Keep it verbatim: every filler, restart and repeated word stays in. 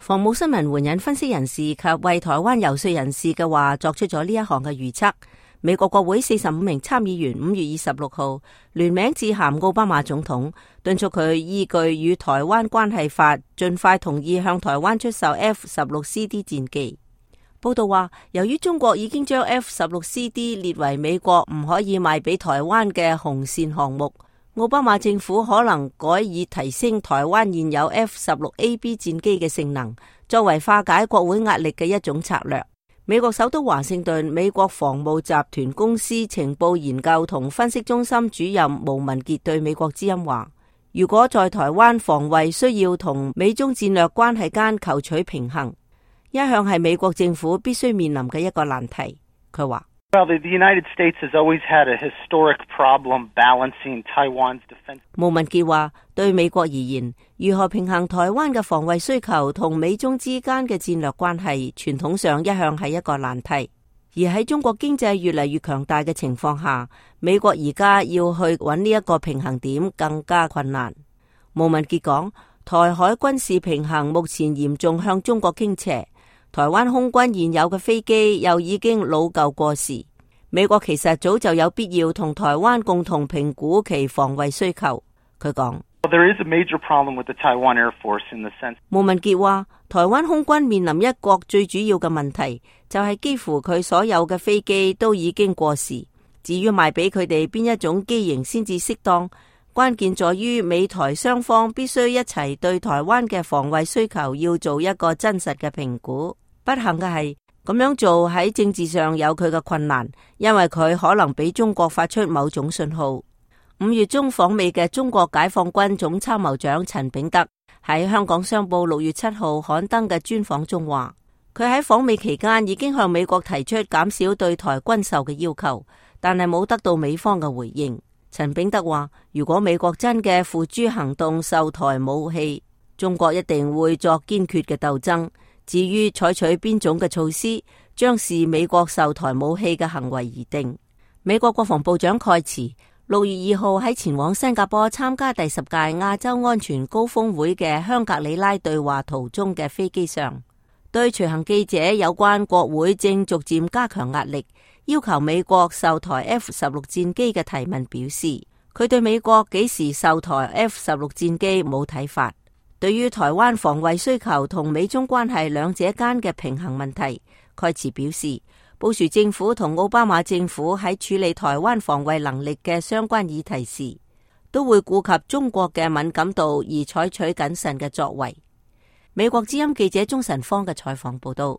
防務新聞援引分析人士及為台灣遊說人士嘅話，作出咗呢一項嘅預測。美國國會四十五名參議員五月二十六號聯名致函奧巴馬總統，敦促佢依據與台灣關係法，盡快同意向台灣出售 F 十六 C D 戰機。報道話，由於中國已經將 F 十六 C D 列為美國唔可以賣俾台灣嘅紅線項目，奧巴馬政府可能改以提升台灣現有 F 十六 A B 戰機嘅性能，作為化解國會壓力嘅一種策略。美國首都華盛頓美國防務集團公司情報研究同分析中心主任毛文傑對美國之音話，如果在台灣防衛需要同美中戰略關係間求取平衡，一向係美國政府必須面臨嘅一個難題。佢話Well, the United States has always had a historic problem balancing Taiwan's defense. 毛文傑話，對美國而言，如何平衡台灣嘅防衛需求同美中之間嘅戰略關係，傳統上一向係一個難題。而喺中國經濟越嚟越強大嘅情況下，美國而家要去揾呢一個平衡點更加困難。毛文傑講，台海軍事平衡目前嚴重向中國傾斜。台灣空軍現有嘅飛機又已經老舊過時，美國其實早就有必要同台灣共同評估其防衛需求。佢講，毛文傑話，台灣空軍面臨一個最主要嘅問題，就係幾乎佢所有嘅飛機都已經過時。至於賣俾佢哋邊一種機型先至適當，關鍵在於美台雙方必須一齊對台灣嘅防衛需求要做一個真實嘅評估。不幸嘅係，咁樣做喺政治上有佢嘅困難，因為佢可能俾中國發出某種信號。五月中訪美嘅中國解放軍總參謀長陳炳德喺香港商報六月七號刊登嘅專訪中話，佢喺訪美期間已經向美國提出減少對台軍售嘅要求，但係冇得到美方嘅回應。陳炳德話，如果美國真嘅付諸行動售台武器，中國一定會作堅決嘅鬥爭。至於採取邊種嘅措施，將視美國售台武器嘅行為而定。美國國防部長蓋茨六月二號喺前往新加坡參加第十屆亞洲安全高峰會嘅香格里拉對話途中嘅飛機上，對隨行記者有關國會正逐漸加強壓力，要求美國售台 F 十六 戰機嘅提問表示，佢對美國幾時售台 F 十六 戰機冇睇法。對於台灣防衛需求同美中關係兩者間嘅平衡問題，蓋茨表示，布殊政府同奧巴馬政府喺處理台灣防衛能力嘅相關議題時，都會顧及中國嘅敏感度而採取謹慎嘅作為。美國之音記者鍾晨芳嘅採訪報道。